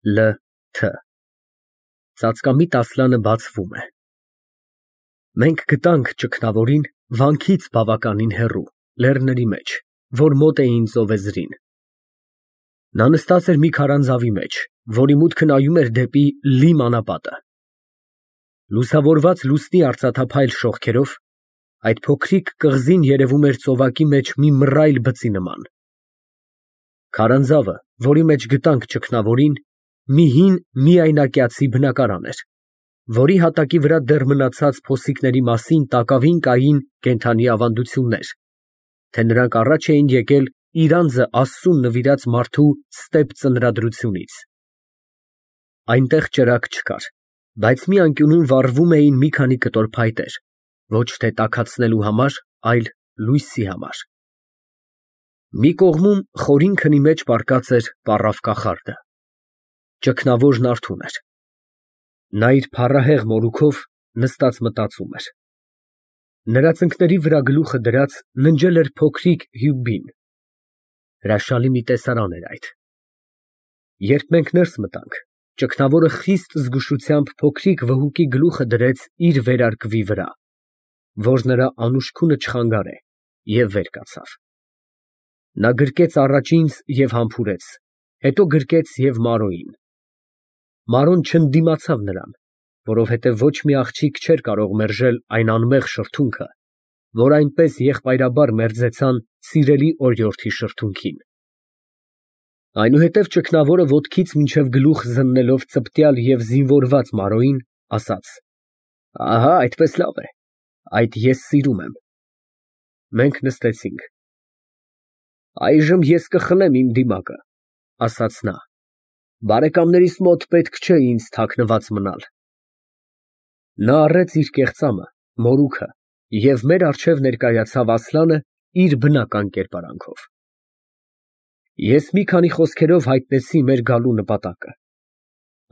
Լ Թ Ծածկամիտ Ասլանը բացվում է։ Մենք գտանք ճգնավորին վանքից բավականին հեռու, լեռների մեջ, որ մոտ էին ծովեզրին։ Նա նստած էր մի քարանձավի մեջ, որի մուտքը նայում էր դեպի լիմ անապատը։ Լուսավորված լուսնի արծաթափայլ շողքերով այդ փոքրիկ կղզին երևում էր ծովակի մեջ մի մռայլ բծի նման։ Քարանձավը, որի մեջ գտանք ճգնավորին, մի հին միայնակյացի բնակարան էր, որի հատակի վրա դեռ մնացած փոսիկների մասին տակավին կային կենդանի ավանդություններ, թե նրանք առաջ էին եկել իր անձը Աստծուն նվիրած մարդու ստեպ ծնրադրությունից։ Այնտեղ ճրագ չկար, բայց մի անկյունում վառվում էին մի քանի կտոր փայտեր, ոչ թե տաքացնելու համար, այլ լույսի համար։ Մի կողմում խորին քնի մեջ պառկած էր պառավ կախարդը։ Ճգնավորն արթուն էր։ Նա իր փառահեղ մորուքով նստած մտածում էր։ Նրա ծնկների վրա գլուխը դրած ննջել էր փոքրիկ Հյուբբին։ Հրաշալի մի տեսարան էր այդ։ Երբ մենք ներս մտանք, ճգնավորը խիստ զգուշությամբ փոքրիկ վհուկի գլուխը դրեց իր վերարկվի վրա, որ նրա անուշքունը չխանգարե, և վեր կացավ։ Նա գրկեց առաջ ինձ և համբուրեց, հետո գրկեց և Մարոյին։ Մարոն չընդդիմացավ նրան, որովհետև ոչ մի աղջիկ չէր կարող մերժել այն անմեղ շրթունքը, որ այնպես եղբայրաբար մերձեցան սիրելի օրիորդի շրթունքին։ Այնուհետև ճգնավորը ոտքից մինչև գլուխ զննելով ծպտյալ և զինվորված Մարոյին, ասաց. «Ահա այդպես լավ է, այդ ես սիրում եմ»։ Մենք նստեցինք։ «Այժմ ես կխլեմ իմ դիմակը», ֊ ասաց նա, «բարեկամներիս մոտ պետք չէ ինձ թաքնված մնալ»։ Նա առեց իր կեղծամը, մորուքը, և մեր առջև ներկայացավ Ասլանը իր բնական կերպարանքով։ Ես մի քանի խոսքերով հայտնեցի մեր գալու նպատակը։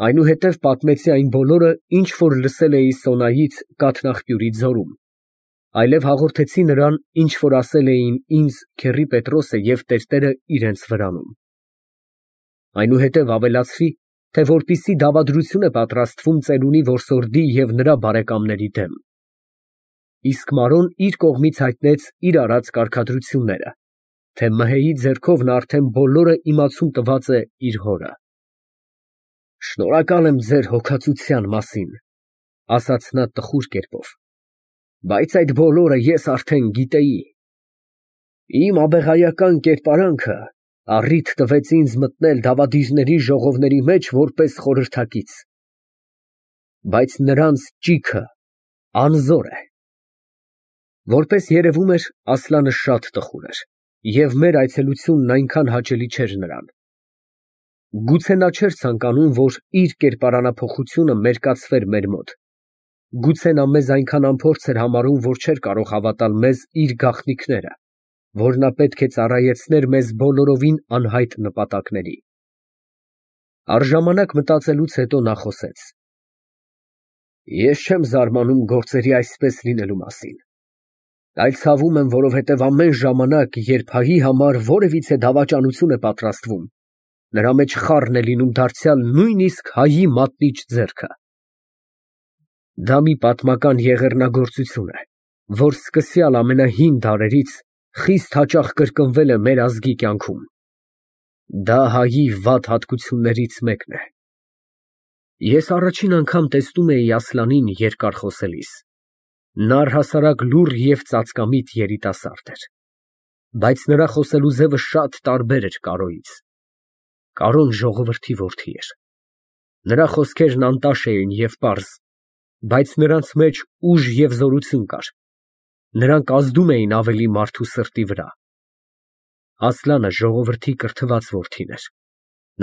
Այնուհետև պատմեցի այն բոլորը, ինչ որ լսել էի Սոնայից կաթնաղբյուրի ձորում, այլև հաղորդեցի նրան, ինչ որ ասել էին ինձ քեռի Պետրոսը և տերտերը իրենց վրանում։ Այնուհետև ավելացրի, թե որպիսի դավադրություն է պատրաստվում ծերունի որսորդի և նրա բարեկամների դեմ։ Իսկ Մարոն իր կողմից հայտնեց իր արած կարգադրությունները, թե Մհեի ձեռքով նա արդեն բոլորը իմացում տված է իր հորը։ «Շնորհակալ եմ ձեր հոգածության մասին», ֊ ասաց նա տխուր կերպով, «բայց այդ բոլորը ես արդեն գիտեի։ Իմ աբեղայական կերպարանքը առիթ տվեց ինձ մտնել դավադիրների ժողովների մեջ որպես խորհրդակից։ Բայց նրանց ճիգը անզոր է»։ Որպես երևում էր, Ասլանը շատ տխուր էր, և մեր այցելությունն այնքան հաճելի չէր նրան։ Գուցե նա չէր ցանկանում, որ իր կերպարանափոխությունը մերկացվեր մեր մոտ, գուցե նա մեզ այնքան անփորձ էր համարում, որ չէր կարող հավատալ մեզ իր գաղտնիքները, որ նա պետք է ծառայեցներ մեզ բոլորովին անհայտ նպատակների։ Առժամանակ մտածելուց հետո նա խոսեց. «Ես չեմ զարմանում գործերի այսպես լինելու մասին, այլ ցավում եմ, որովհետև ամեն ժամանակ, երբ հայի համար որևիցե դավաճանություն է պատրաստվում, նրա մեջ խառն է լինում դարձյալ նույնիսկ հայի մատնիչ ձեռքը։ Դա մի պատմական եղեռնագործություն է, որ սկսյալ ամենահին դարերից խիստ հաճախ կրկնվել է մեր ազգի կյանքում։ Դա հայի վատ հատկություններից մեկն է։ Ես առաջին անգամ տեսնում էի Ասլանին երկար խոսելիս։ Նա առհասարակ լուռ և ծածկամիտ երիտասարդ էր, բայց նրա խոսելու ձևը շատ տարբեր էր Կարոյից։ Կարոն ժողովրդի որդի էր։ Նրա խոսքերն անտաշ էին և պարզ, բայց նրանց մեջ ուժ և զորություն կար։ Նրանք ազդում էին ավելի մարդու սրտի վրա։ Ասլանը ժողովրդի կրթված որդին էր։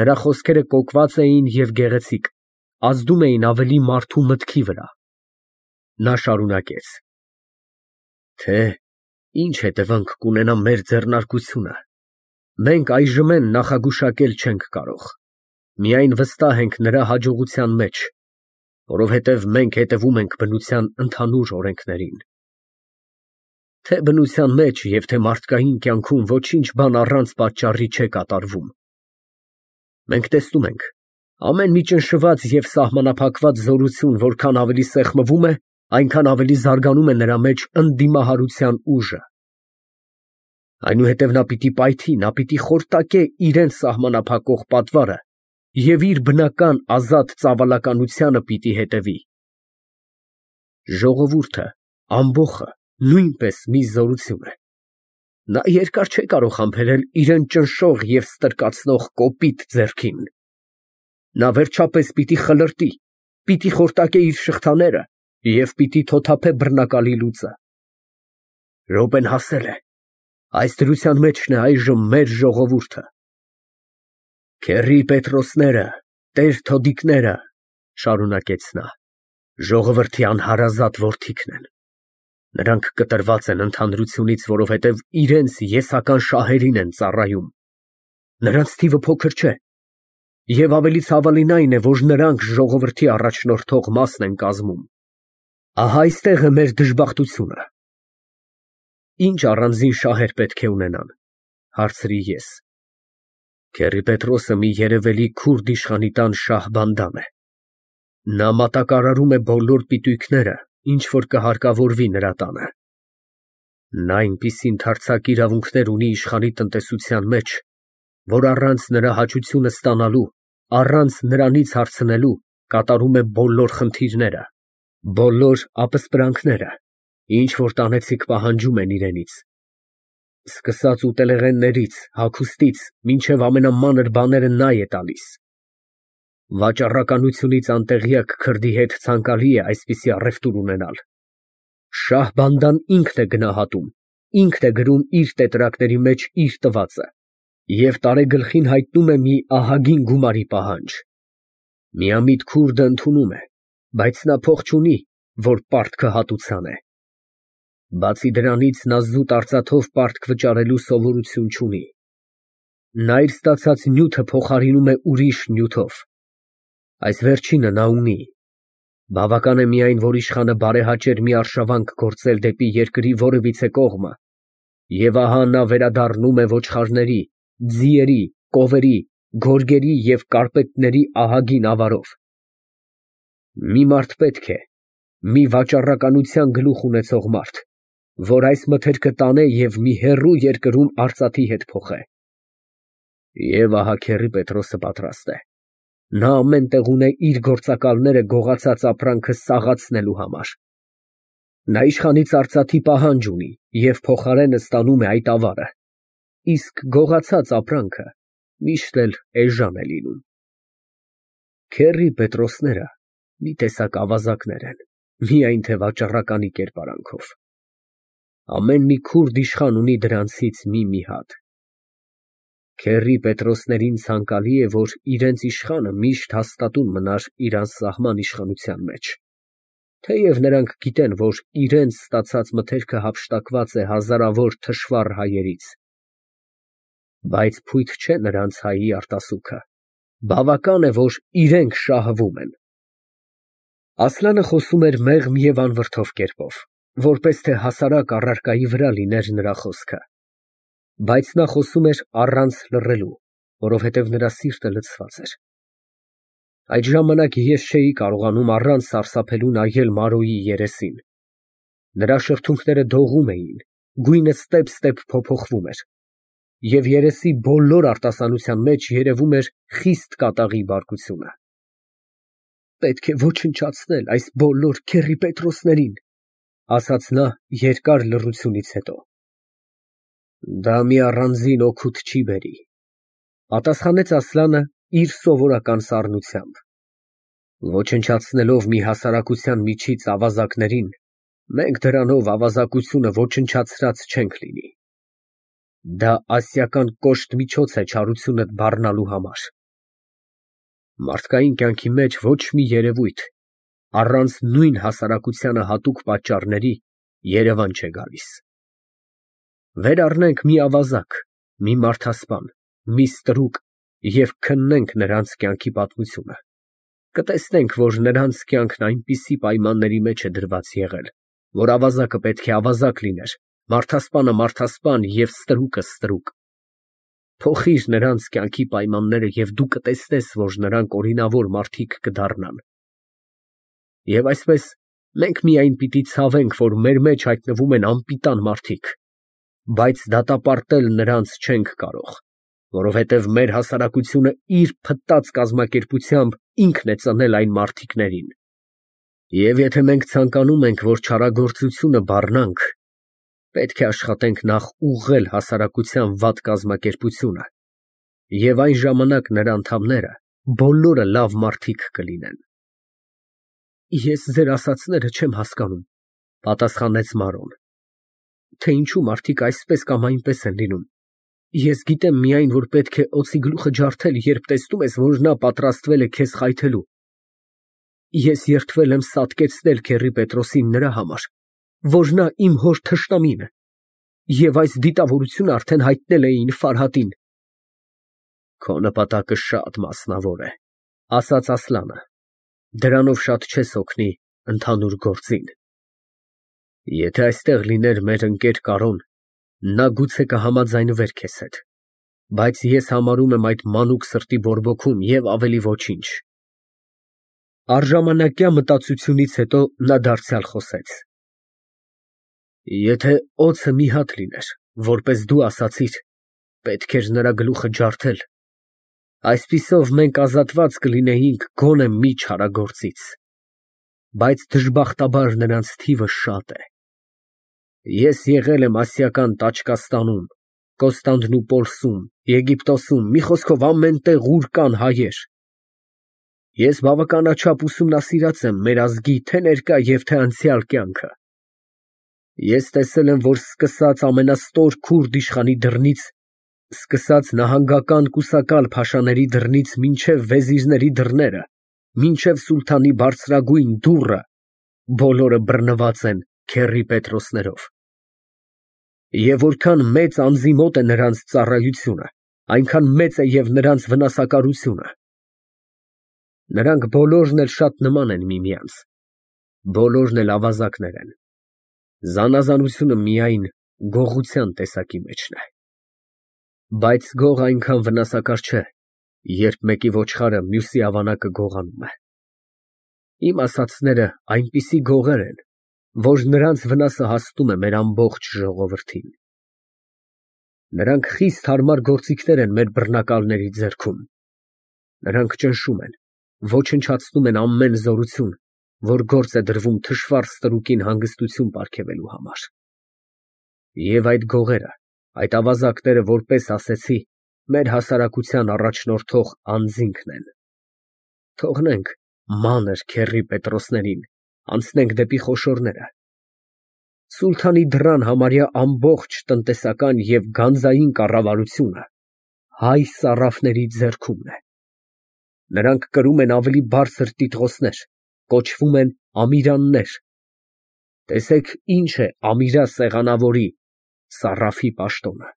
Նրա խոսքերը կոկված էին և գեղեցիկ, ազդում էին ավելի մարդու մտքի վրա։ Նա շարունակեց. «Թե ինչ հետևանք կունենա մեր ձեռնարկությունը, մենք այժմեն նախագուշակել չենք կարող, միայն վստահ ենք նրա հաջողության մեջ, որովհետև մենք հետևում ենք բնության ընդհանուր օրենքներին։ Թե բնության մեջ և թե մարդկային կյանքում ոչինչ բան առանց պատճառի չէ կատարվում։ Մենք տեսնում ենք, Ամեն մի ճնշված և սահմանափակված զորություն որքան ավելի սեղմվում է, այնքան ավելի զարգանում է նրա մեջ ընդդիմահարության ուժը։ Այնուհետև նա պիտի պայթի, նա պիտի խորտակե իրան սահմանափակող պատվարը և իր բնական ազատ ծավալականությանը պիտի հետևի։ Ժողովուրդը, ամբոխը նույնպես մի զորություն է։ Նա երկար չէ կարող համբերել իրան ճնշող և ստրկացնող կոպիտ ձեռքին։ Նա վերջապես պիտի խլրտի, պիտի խորտակե իր շղթաները և պիտի թոթափե բռնակալի լուծը։ Րոպեն հասել է։ Այս դրության մեջն է այժմ մեր ժողովուրդը։ Քեռի Պետրոսները, տեր թոդիկները, շարունակեց նա, ժողովրդի անհարազատ որդիքն են։ Նրանք կտրված են ընդհանրությունից, որովհետև իրենց եսական շահերին են ծառայում։ Նրանց թիվը փոքր չէ։ Եվ ավելի ցավալին այն է, որ նրանք ժողովրդի առաջնորդող մասն են կազմում։ Ահա այստեղ է մեր դժբախտությունը։ Ինչ առանձին շահեր պետք է ունենան, հարցրի ես։ Քեռի Պետրոսը մի երևելի քուրդ իշխանի տան շահբանդան է։ Նա մատակարարում է բոլոր պիտույքները, ինչ որ կհարկավորվի նրա տանը։ Նա այնպիսի ընդարձակ իրավունքներ ունի իշխանի տնտեսության մեջ, որ առանց նրա հաճությունը ստանալու, առանց նրանից հարցնելու, կատարում է բոլոր խնդիրները, բոլոր ապսպրանքները, ինչ որ տանեցիք պահանջում են իրենից։ Սկսած ուտելեղեններից, հագուստից, մինչև ամենամանր բաները նա է տալիս։ Վաճառականությունից անտեղյակ քրդի հետ ցանկալի է այսպիսի առևտուր ունենալ։ Շահբանդան ինքն է գնահատում, ինքն է գրում իր տետրակների մեջ իր տվածը և տարեգլխին հայտնում է մի ահագին գումարի պահանջ։ Միամիտ քուրդը ընդունում է, բայց նա փող չունի, որ պարտքը հատուցան է։ Բացի դրանից նա զուտ արծաթով պարտք վճարելու սովորություն չունի։ Նա իր ստացած նյութը փոխարինում է ուրիշ նյութով։ Այս վերջինը նա ունի։ Բավական է միայն, որ իշխանը բարեհաճեր մի արշավանք գործել դեպի երկրի որևիցե կողմը, և ահա նա վերադառնում է ոչխարների, ձիերի, կովերի, գորգերի և կարպետների ահագին ավարով։ Մի մարդ պետք է, մի վաճառականության գլուխ ունեցող մարդ, որ այս մթերքը տանե և մի հեռու երկրում արծաթի հետ փոխե։ Եվ ահա քեռի Պետրոսը պատրաստ է։ Նա ամեն տեղ ունե իր գործակալները գողացած ապրանքը սաղացնելու համար։ Նա իշխանից արծաթի պահանջ ունի և փոխարենը ստանում է այդ ավարը, իսկ գողացած ապրանքը միշտ էլ էժան է լինում։ Քեռի Պետրոսները մի տեսակ ավազակներ են, միայն թե վաճառականի կերպարանքով։ Ամեն մի քուրդ իշխան ունի դրանցից մի հատ։ Քեռի Պետրոսներին ցանկալի է, որ իրենց իշխանը միշտ հաստատուն մնար իր անսահման իշխանության մեջ։ Թեև նրանք գիտեն, որ իրենց ստացած մթերքը հափշտակված է հազարավոր թշվառ հայերից։ Բայց փույթ չէ նրանց հայի արտասուքը։ Բավական է, որ իրենք շահվում են։ Ասլանը խոսում էր մեղմ և անվրդով կերպով, որպես թե հասարակ առարկայի վրա լիներ նրա խոսքը։ Բայց նա խոսում էր առանց լռելու, որովհետև նրա սիրտը լցված էր։ Այդ ժամանակ ես չէի կարողանում առանց սարսափելու նայել Մարոյի երեսին։ Նրա շրթունքները դողում էին, գույնը ստեպ փոփոխվում էր, և երեսի բոլոր արտասանության մեջ երևում էր խիստ կատաղի բարկությունը։ Պետք է ոչնչացնել այս բոլոր քեռի Պետրոսներին, ասաց նա երկար լռությունից հետո։ Դա մի առանձին օգուտ չի բերի, պատասխանեց Ասլանը իր սովորական սառնությամբ։ Ոչնչացնելով մի հասարակության միջից ավազակներին, մենք դրանով ավազակությունը ոչնչացրած չենք լինի։ Դա ասիական կոշտ միջոց է չարությունդ բառնալու համար։ Մարդկային կյանքի մեջ ոչ մի երևույթ առանց նույն հասարակությանը հատուկ պատճառների երևան չէ գալիս։ Վեր առնենք մի ավազակ, մի մարդասպան, մի ստրուկ և քննենք նրանց կյանքի պատմությունը, կտեսնենք, որ նրանց կյանքն այնպիսի պայմանների մեջ է դրված եղել, որ ավազակը պետք է ավազակ լիներ, մարդասպանը մարդասպան և ստրուկը ստրուկ։ Փոխիր նրանց կյանքի պայմանները և դու կտեսնես, որ նրանք օրինավոր մարդիկ կդառնան։ Եվ այսպես մենք միայն պիտի ցավենք, որ մեր մեջ հայտնվում են անպիտան մարդիկ, բայց դատապարտել նրանց չենք կարող, որովհետև մեր հասարակությունը իր փտտած կազմակերպությամբ ինքն է ծնել այն մարդիկներին։ Եվ եթե մենք ցանկանում ենք, որ չարագործությունը բառնանք, պետք է աշխատենք նախ ուղղել հասարակության վատ կազմակերպությունը, և այն ժամանակ նրա անդամները բոլորը լավ մարդիկ կլինեն։ Ես ձեր ասածները չեմ հասկանում, պատասխանեց Մարոն, թե ինչու մարդիկ այսպես կամ այնպես են լինում։ Ես գիտեմ միայն, որ պետք է օձի գլուխը ջարդել, երբ տեսնում ես, որ նա պատրաստվել է քեզ խայթելու։ Ես երդվել եմ սատկեցնել քեռի Պետրոսին նրա համար, որ նա իմ հոր թշնամին է, և այս դիտավորությունը արդեն հայտնել էին Ֆարհադին։ Քո նպատակը շատ մասնավոր է, ասաց Ասլանը, դրանով շատ չես օգնի ընդհանուր գործին։ Եթե այստեղ լիներ մեր ընկեր Կարոն, նա գուցե կհամաձայնվեր քեզ հետ, բայց ես համարում եմ այդ մանուկ սրտի բորբոքում և ավելի ոչինչ։ Առժամանակյա մտածությունից հետո նա դարձյալ խոսեց. Եթե օձը մի հատ լիներ, որպես դու ասացիր, պետք էր նրա գլուխը ջարդել, այսպիսով մենք ազատված կլինեինք գոնե մի չարագործից, բայց դժբախտաբար նրանց թիվը շատ է։ Ես եղել եմ Ասիական Տաճկաստանում, Կոստանդնուպոլսում, Եգիպտոսում, մի խոսքով ամեն տեղ, ուր կան հայեր։ Ես բավականաչափ ուսումնասիրած եմ մեր ազգի թե ներկա և թե անցյալ կյանքը։ Ես տեսել եմ, որ սկսած ամենաստոր քուրդ իշխանի դռնից, սկսած նահանգական կուսակալ փաշաների դռնից մինչև վեզիրների դռները, մինչև սուլթանի բարձրագույն դուռը, բոլորը բռնված են քեռի Պետրոսներով։ Եվ որքան մեծ անձի մոտ է նրանց ծառայությունը, այնքան մեծ է և նրանց վնասակարությունը։ Նրանք բոլորն էլ շատ նման են միմյանց, բոլորն էլ ավազակներ են, զանազանությունը միայն գողության տեսակի մեջն է։ Բայց գողը այնքան վնասակար չէ, երբ մեկի ոչխարը մյուսի ավանակը գողանում է։ Իմ ասածները այնպիսի գողեր են, որ նրանց վնասը հասնում է մեր ամբողջ ժողովրդին։ Նրանք խիստ հարմար գործիքներ են մեր բռնակալների ձեռքում։ Նրանք ճնշում են, ոչնչացնում են ամեն զորություն, որ գործ է դրվում թշվառ ստրուկին հանգստություն պարգևելու համար։ Եվ այդ գողերը, այդ ավազակները, որպես ասեցի, մեր հասարակության առաջնորդող անձինքն են։ Թողնենք մանր քեռի Պետրոսներին, անցնենք դեպի խոշորները։ Սուլթանի դռան համարյա ամբողջ տնտեսական և գանձային կառավարությունը հայ սարաֆների ձեռքումն է։ Նրանք կրում են ավելի բարձր տիտղոսներ, կոչվում են ամիրաններ։ Տեսեք ինչ է Ամիրա սեղանավորի, սարաֆի պաշտոնը։